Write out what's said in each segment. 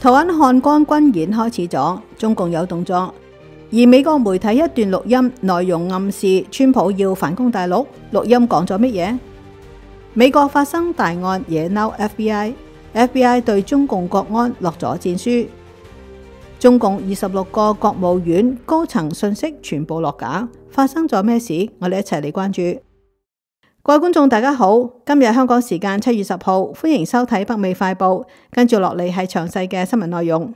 台灣漢光軍演開始咗，中共有動作，而美國媒體一段錄音內容暗示川普要反攻大陸。錄音講咗乜嘢？美國發生大案惹嬲 FBI 對中共國安落咗戰書。中共26個國務院高層信息全部落架，發生咗咩事？我哋一齊嚟關注。各位觀眾大家好，今日香港時間7月10號，歡迎收睇北美快報。跟住落嚟係詳細嘅新聞內容。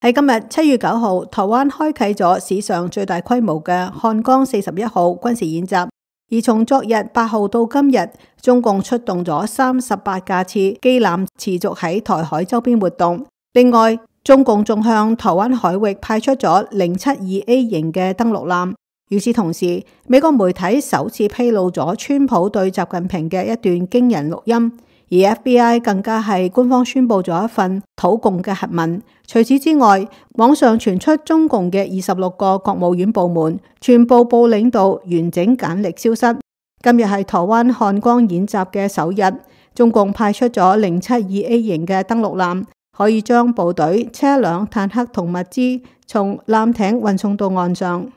喺今日7月9號，台灣開啟咗史上最大規模嘅漢光41號軍事演習，而從昨日8號到今日，中共出動咗38架次機艦持續喺台海周邊活動。另外，中共仲向台灣海域派出咗072A 型嘅登陸艦。與此同時，美國媒體首次披露咗川普對習近平嘅一段驚人錄音，而 FBI 更加係官方宣布咗一份討共嘅核文。除此之外，網上傳出中共嘅26個國務院部門全部部領導完整簡歷消失。今日係台灣漢光演習嘅首日，中共派出咗072A 型嘅登陸艦，可以將部隊、車輛、坦克同物資從艦艇運送到岸上。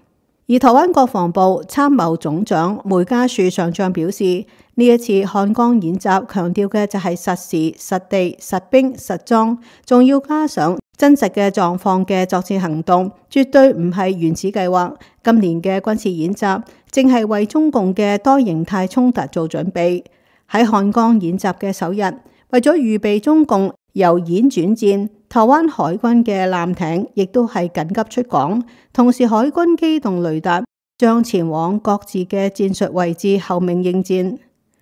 而台灣國防部參謀總長梅家樹上將表示，呢一次漢光演習強調嘅就係實時、實地、實兵、實裝，仲要加上真實嘅狀況嘅作戰行動，絕對唔係原始計劃。今年嘅軍事演習正係為中共嘅多形態衝突做準備。喺漢光演習嘅首日，為咗預備中共由演轉戰，台灣海軍嘅艦艇亦都係緊急出港，同時海軍機動雷達將前往各自嘅戰術位置候命應戰。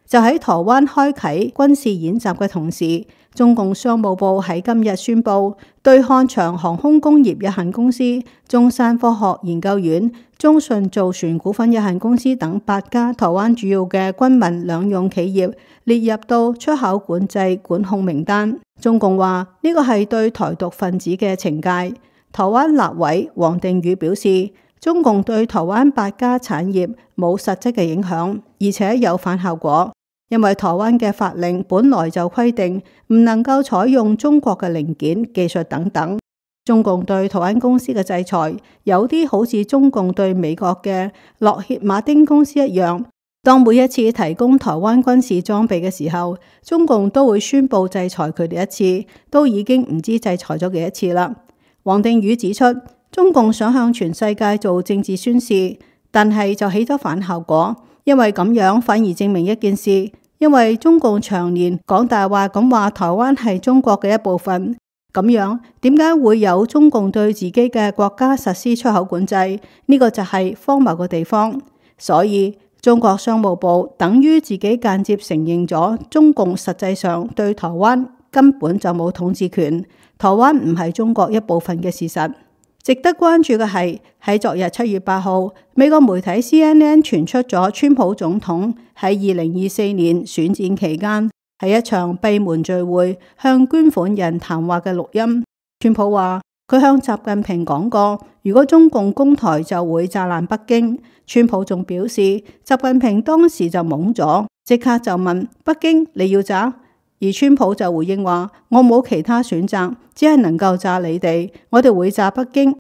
就喺台灣開啟軍事演習嘅同時，中共商務部喺今日宣布，對漢翔航空工業有限公司、中山科學研究院、中信造船股份有限公司等8家台灣主要嘅軍民兩用企業列入到出口管制管控名單。中共話呢個係對台獨分子嘅懲戒。台灣立委王定宇表示，中共對台灣8家產業冇實質嘅影響，而且有反效果。因為台灣嘅法令本來就規定唔能夠採用中國嘅零件、技術等等。中共對台灣公司嘅制裁，有啲好似中共對美國嘅洛歇馬丁公司一樣。當每一次提供台灣軍事裝備嘅時候，中共都會宣布制裁佢哋一次，都已經唔知制裁咗幾多次啦。王定宇指出，中共想向全世界做政治宣示，但係就起咗反效果，因為咁樣反而證明一件事。因為中共長年講大話咁話台灣係中國嘅一部分，咁樣點解會有中共對自己嘅國家實施出口管制？呢個就係荒謬嘅地方。所以中國商務部等於自己間接承認咗中共實際上對台灣根本就冇統治權，台灣唔係中國一部分嘅事實。值得關注嘅係，喺昨日7月8號，美國媒體 CNN 傳出咗川普總統喺2024年選戰期間喺一場閉門聚會向捐款人談話嘅錄音。川普話佢向習近平講過，如果中共攻台就會炸爛北京。川普仲表示，習近平當時就懵咗，即刻就問北京你要炸？而川普就回應話，我冇其他選擇，只係能夠炸你哋，我哋會炸北京。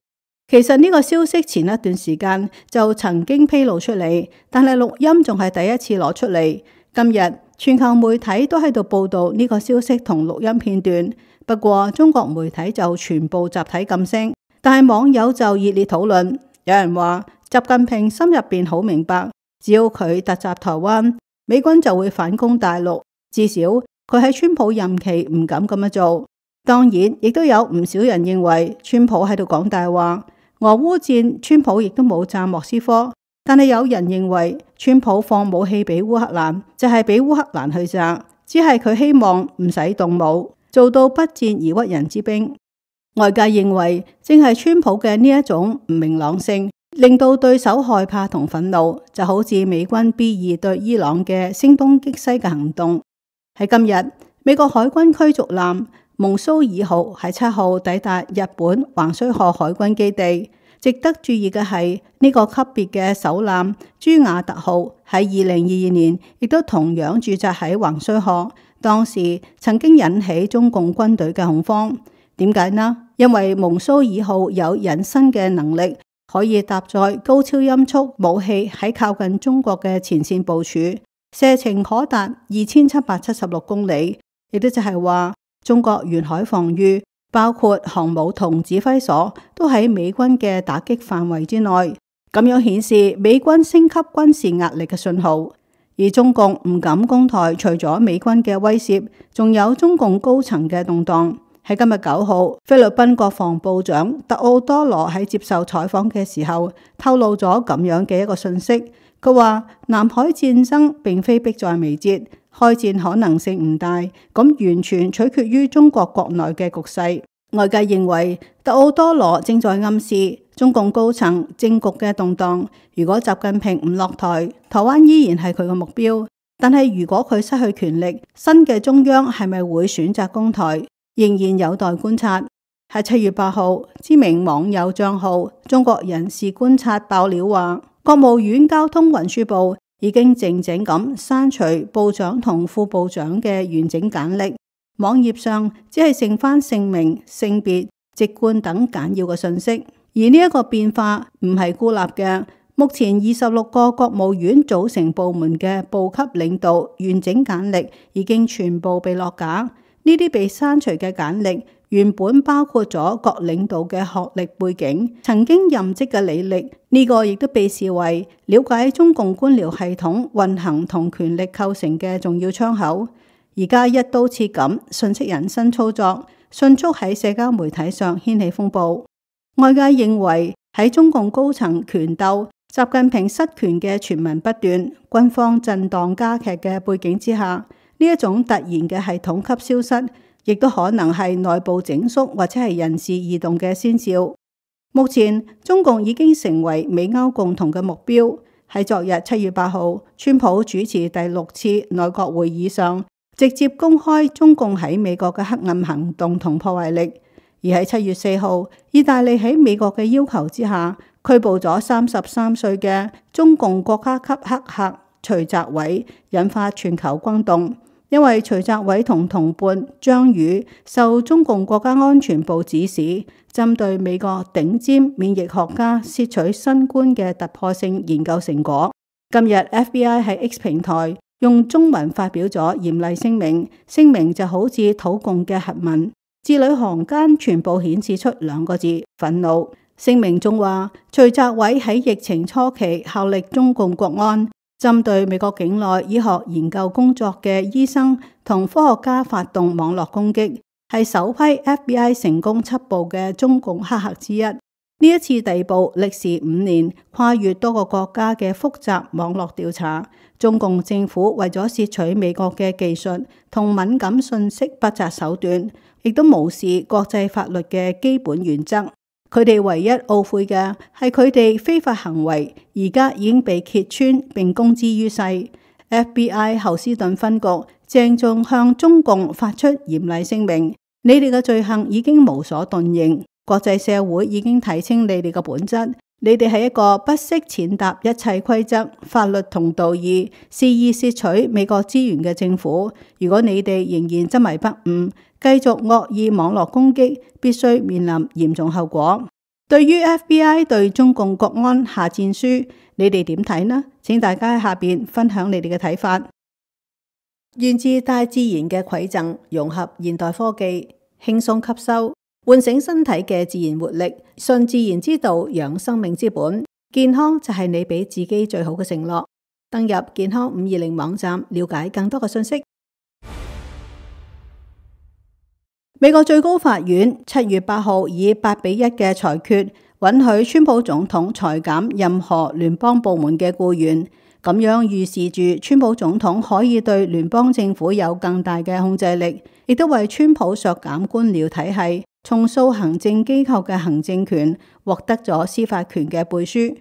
其實呢個消息前一段時間就曾經披露出嚟，但係錄音仲係第一次攞出嚟。今日全球媒體都喺度報道呢個消息同錄音片段，不過中國媒體就全部集體噤聲，但係網友就熱烈討論。有人話習近平心入邊好明白，只要佢突襲台灣，美軍就會反攻大陸，至少佢喺川普任期唔敢咁樣做。當然亦都有唔少人認為川普喺度講大話。俄烏戰川普亦都冇炸莫斯科，但係有人認為川普放武器俾烏克蘭就係俾烏克蘭去炸，只係佢希望唔使動武，做到不戰而屈人之兵。外界認為正係川普嘅呢一種唔明朗性令到對手害怕同憤怒，就好似美軍 B2對伊朗嘅聲東擊西嘅行動。喺今日，美國海軍驅逐艦蒙蘇爾號喺7號抵達日本橫須賀海軍基地。值得注意嘅係呢個級別嘅首艦朱瓦特號喺2022年亦都同樣駐紮喺橫須賀，當時曾經引起中共軍隊嘅恐慌。點解呢？因為蒙蘇爾號有隱身嘅能力，可以搭載高超音速武器喺靠近中國嘅前線部署，射程可達2776公里，亦都就係話中國沿海防禦，包括航母同指揮所，都喺美軍嘅打擊範圍之內。咁樣顯示美軍升級軍事壓力嘅信號。而中共唔敢攻台，除咗美軍嘅威懾，仲有中共高層嘅動盪。喺今日9號，菲律賓國防部長特奧多羅喺接受採訪嘅時候，透露咗咁樣嘅一個信息。佢話南海戰爭並非迫在眉睫，開戰可能性唔大，咁完全取決於中國國內嘅局勢。外界認為特奧多羅正在暗示中共高層政局嘅動盪。如果習近平唔落台，台灣依然係佢嘅目標。但係如果佢失去權力，新嘅中央係咪會選擇攻台，仍然有待觀察。喺7月8號，知名網友賬號中國人士觀察爆料話，國務院交通運輸部已經靜靜咁刪除部長同副部長嘅完整簡歷，網頁上只係剩翻姓名、性別、籍貫等簡要嘅信息。而呢一個變化唔係孤立嘅，目前26個國務院組成部門嘅部級領導完整簡歷已經全部被落架。呢啲被刪除嘅簡歷原本包括咗各領導嘅學歷背景、曾經任職嘅履歷，呢個亦都被視為了解中共官僚系統運行同權力構成嘅重要窗口。而家一刀切咁信息引申操作，迅速喺社交媒體上掀起風暴。外界認為喺中共高層權鬥、習近平失權嘅傳聞不斷、軍方震盪加劇嘅背景之下，呢一種突然嘅系統級消失，亦都可能係內部整肅或者係人事異動嘅先兆。目前中共已經成為美歐共同嘅目標。喺昨日7月8號，川普主持第6次內閣會議上，直接公開中共喺美國嘅黑暗行動同破壞力。而喺7月4號，意大利喺美國嘅要求之下，拘捕咗33歲嘅中共國家級黑客徐澤偉，引發全球轟動。因為徐澤偉同同伴張宇受中共國家安全部指使，針對美國頂尖免疫學家竊取新冠嘅突破性研究成果。今日 FBI 喺 X 平台用中文發表咗嚴厲聲明，聲明就好似土共嘅核文，字裏行間全部顯示出2個字：憤怒。聲明中話，徐澤偉喺疫情初期效力中共國安，針對美國境內醫學研究工作嘅醫生同科學家發動網絡攻擊，係首批 FBI 成功緝捕嘅中共黑客之一。呢一次逮捕歷時5年，跨越多個國家嘅複雜網絡調查。中共政府為咗竊取美國嘅技術同敏感信息，不擇手段，亦都無視國際法律嘅基本原則。佢哋唯一懊悔嘅係佢哋非法行為，而家已經被揭穿並公之於世。FBI 侯斯頓分局鄭重向中共發出嚴厲聲明：你哋嘅罪行已經無所遁形，國際社會已經睇清你哋嘅本質。你哋係一個不惜踐踏一切規則、法律同道義，肆意竊取美國資源嘅政府。如果你哋仍然執迷不悟，繼續惡意網絡攻擊，必須面臨嚴重後果。對於 FBI 對中共國安下戰書，你哋點睇呢？請大家喺下邊分享你哋嘅睇法。源自大自然嘅饋贈，融合現代科技，輕鬆吸收，喚醒身體嘅自然活力，順自然之道，養生命之本。健康就係你俾自己最好嘅承諾。登入健康520網站，了解更多嘅信息。美國最高法院7月8號以8-1嘅裁決，允許川普總統裁減任何聯邦部門嘅僱員，咁樣預示住川普總統可以對聯邦政府有更大嘅控制力，亦都為川普削減官僚體系、重塑行政機構嘅行政權，獲得咗司法權嘅背書。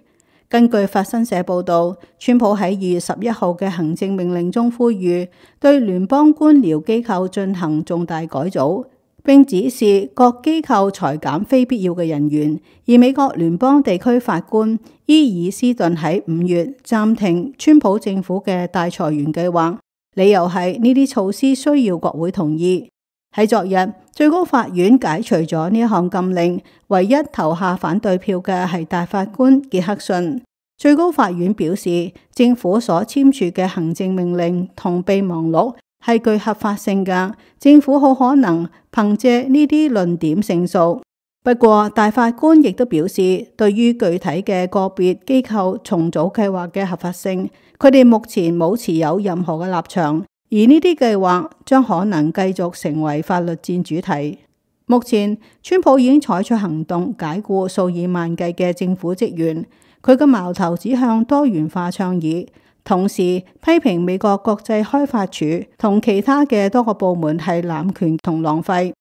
根據法新社報導，川普喺2月11號嘅行政命令中呼籲對聯邦官僚機構進行重大改組，並指示各機構裁減非必要嘅人員。而美國聯邦地區法官伊爾斯頓喺5月暫停川普政府嘅大裁員計劃。理由係呢啲措施需要國會同意。喺昨日，最高法院解除咗呢一項禁令，唯一投下反對票嘅係大法官傑克遜。最高法院表示，政府所簽署嘅行政命令同備忘錄係具合法性嘅，政府好可能憑借呢啲論點勝訴。不過，大法官亦都表示，對於具體嘅個別機構重組計劃嘅合法性，佢哋目前冇持有任何嘅立場。而呢啲計劃將可能繼續成為法律戰主題。目前，川普已經採取行動解僱數以萬計嘅政府職員，佢嘅矛頭指向多元化倡議，同時批評美國國際開發署同其他嘅多個部門係濫權同浪費。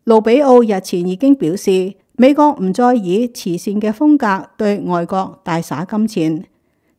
盧比奧日前已經表示，美國唔再以慈善嘅風格對外國大灑金錢。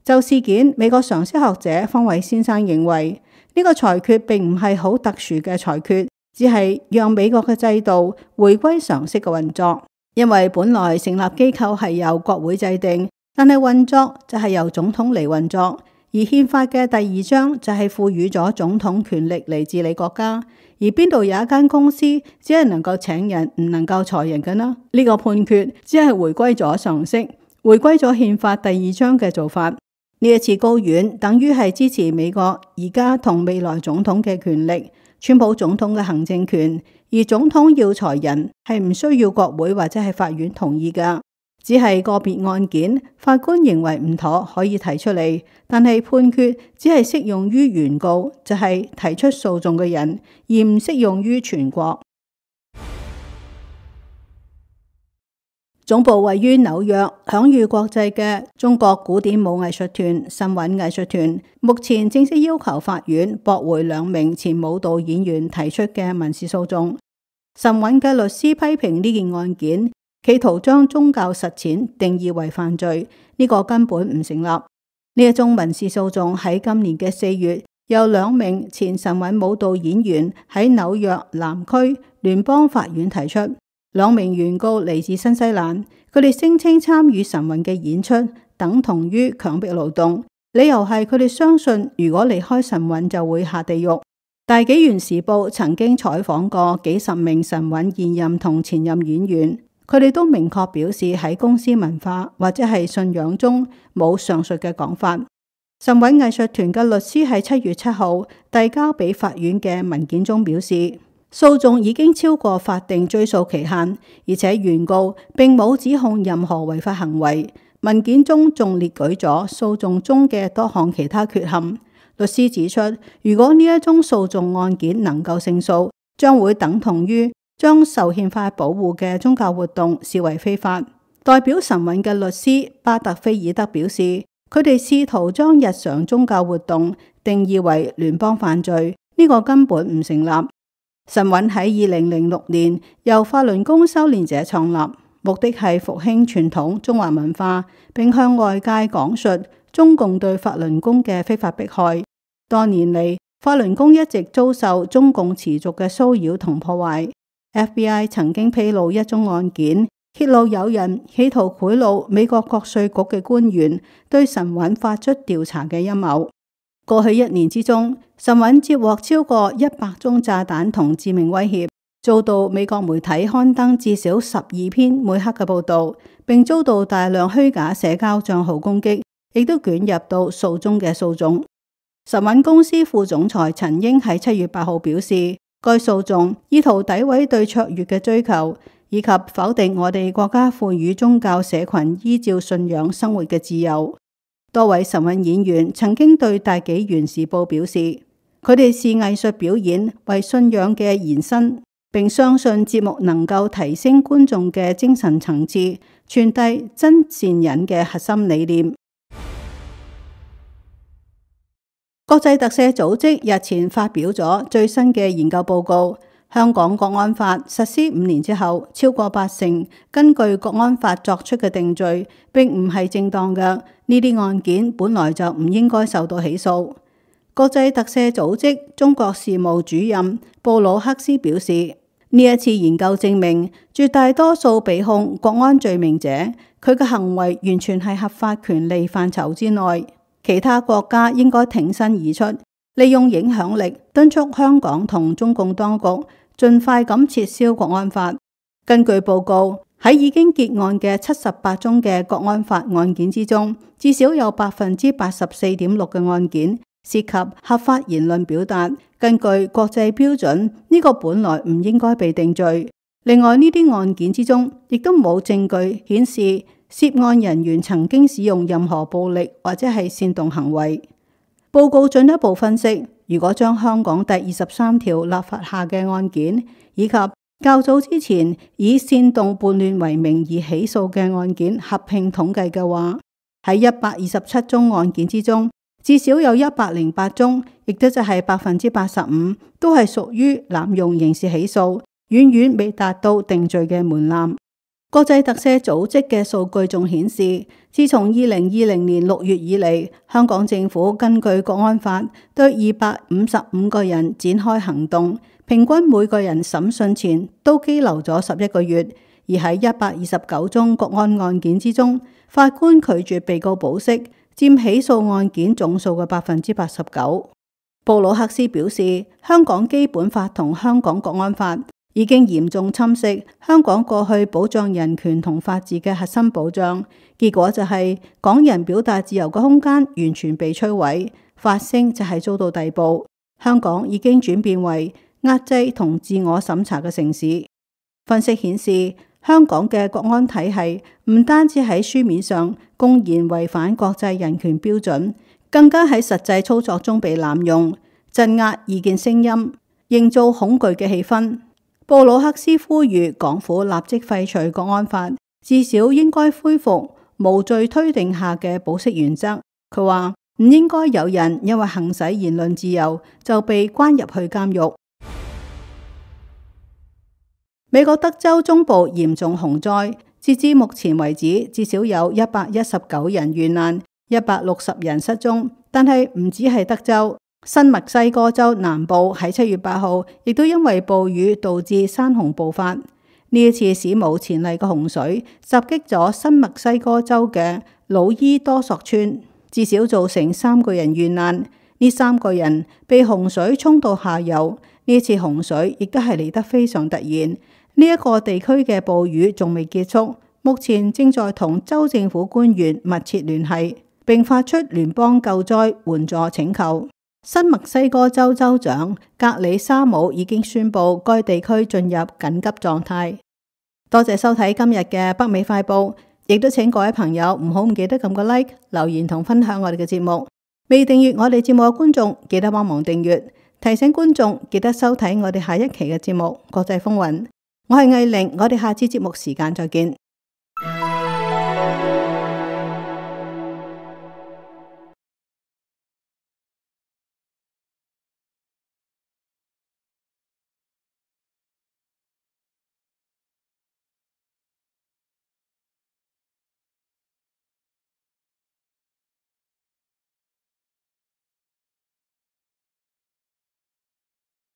就事件，美國常識學者方偉先生認為，呢個裁決並唔係好特殊嘅裁決，只係讓美國嘅制度回歸常識嘅運作。因為本來成立機構係由國會制定，但係運作就係由總統嚟運作。而憲法嘅第2章就係賦予咗總統權力嚟治理國家。而邊度有一間公司只係能夠請人，唔能夠裁人嘅呢？呢個判決只係回歸咗常識，回歸咗憲法第2章嘅做法。呢一次高院等於係支持美國而家同未來總統嘅權力，川普總統嘅行政權，而總統要裁人係唔需要國會或者係法院同意㗎，只係個別案件法官認為唔妥可以提出嚟，但係判決只係適用於原告，就係提出訴訟嘅人，而唔適用於全國。總部位於紐約、享譽國際嘅中國古典舞藝術團神韻藝術團，目前正式要求法院駁回2名前舞蹈演員提出嘅民事訴訟。神韻嘅律師批評呢件案件，企圖將宗教實踐定義為犯罪，呢個根本唔成立。呢一宗民事訴訟喺今年嘅4月，由2名前神韻舞蹈演員喺紐約南區聯邦法院提出。2名原告嚟自新西蘭，佢哋聲稱參與神韻嘅演出等同於強迫勞動，理由係佢哋相信如果離開神韻就會下地獄。大紀元時報曾經採訪過幾十名神韻現任同前任演員，佢哋都明確表示喺公司文化或者係信仰中冇上述嘅講法。神韻藝術團嘅律師喺7月7號遞交俾法院嘅文件中表示，訴訟已經超過法定追訴期限，而且原告並冇指控任何違法行為。文件中仲列舉咗訴訟中嘅多項其他缺陷。律師指出，如果呢一宗訴訟案件能夠勝訴，將會等同於將受憲法保護嘅宗教活動視為非法。代表神韻嘅律師巴特菲爾德表示，佢哋試圖將日常宗教活動定義為聯邦犯罪，呢個根本唔成立。神韻喺2006年由法輪功修煉者創立，目的係復興傳統中華文化，並向外界講述中共對法輪功嘅非法迫害。多年嚟，法輪功一直遭受中共持續嘅騷擾同破壞。FBI 曾經披露一宗案件，揭露有人企圖賄賂美國國稅局嘅官員，對神韻發出調查嘅陰謀。過去1年之中，神韻接獲超過100宗炸彈同致命威脅，遭到美國媒體刊登至少12篇抹黑嘅報道，並遭到大量虛假社交賬號攻擊，亦都捲入到訴訟嘅訴訟。神韻公司副總裁陳英喺7月8號表示，該訴訟意圖詆毀對卓越嘅追求，以及否定我哋國家賦予宗教社群依照信仰生活嘅自由。多位神韻演員曾經對大紀元時報表示，佢哋視藝術表演為信仰嘅延伸，並相信節目能夠提升觀眾嘅精神層次，傳遞真善忍嘅核心理念。國際特赦組織日前發表咗最新嘅研究報告，香港國安法實施5年之後，超過80%根據國安法作出嘅定罪並唔係正當嘅，呢啲案件本來就唔應該受到起訴。國際特赦組織中國事務主任布魯克斯表示，呢一次研究證明，絕大多數被控國安罪名者，佢嘅行為完全係合法權利範疇之內。其他國家應該挺身而出，利用影響力敦促香港同中共當局盡快咁撤銷國安法。根據報告，喺已經結案嘅78宗嘅國安法案件之中，至少有84.6%嘅案件涉及合法言論表達。根據國際標準，呢個本來唔應該被定罪。另外呢啲案件之中，亦都冇證據顯示涉案人員曾經使用任何暴力或者係煽動行為。報告進一步分析，如果將香港第23條立法下嘅案件，以及較早之前以煽動叛亂為名而起訴嘅案件合併統計嘅話，喺127宗案件之中，至少有108宗，亦都就係85%，都係屬於濫用刑事起訴，遠遠未達到定罪嘅門檻。國際特赦組織嘅數據仲顯示，自從2020年6月以嚟，香港政府根據國安法對255個人展開行動，平均每個人審訊前都羈留咗11個月。而喺129宗國安案件之中，法官拒絕被告保釋，佔起訴案件總數嘅89%。布魯克斯表示，香港基本法同香港國安法已經嚴重侵蝕香港過去保障人權同法治嘅核心保障，結果就係港人表達自由嘅空間完全被摧毀，發聲就係遭到逮捕。香港已經轉變為壓制同自我審查嘅城市。分析顯示，香港嘅國安體系唔單止喺書面上公然違反國際人權標準，更加喺實際操作中被濫用，鎮壓異見聲音，營造恐懼嘅氣氛。布魯克斯呼籲港府立即廢除國安法，至少應該恢復無罪推定下嘅保釋原則。佢話唔應該有人因為行使言論自由就被關入去監獄。美國德州中部嚴重洪災，截至目前為止，至少有119人遇難，160人失蹤。但係唔止係德州。新墨西哥州南部喺7月8號，亦都因為暴雨導致山洪暴發。呢一次史無前例嘅洪水襲擊咗新墨西哥州嘅魯伊多索村，至少造成3個人遇難。呢3個人被洪水沖到下游。呢次洪水亦都係嚟得非常突然。呢一個地區嘅暴雨仲未結束，目前正在同州政府官員密切聯繫，並發出聯邦救災援助請求。新墨西哥州州長格里沙姆已經宣布該地區進入緊急狀態。多謝收睇今日嘅北美快報，亦都請各位朋友唔好唔記得撳個 like、留言同分享我哋嘅節目。未訂閱我哋節目嘅觀眾，記得幫忙訂閱。提醒觀眾記得收睇我哋下一期嘅節目《國際風雲》。我係藝玲，我哋下次節目時間再見。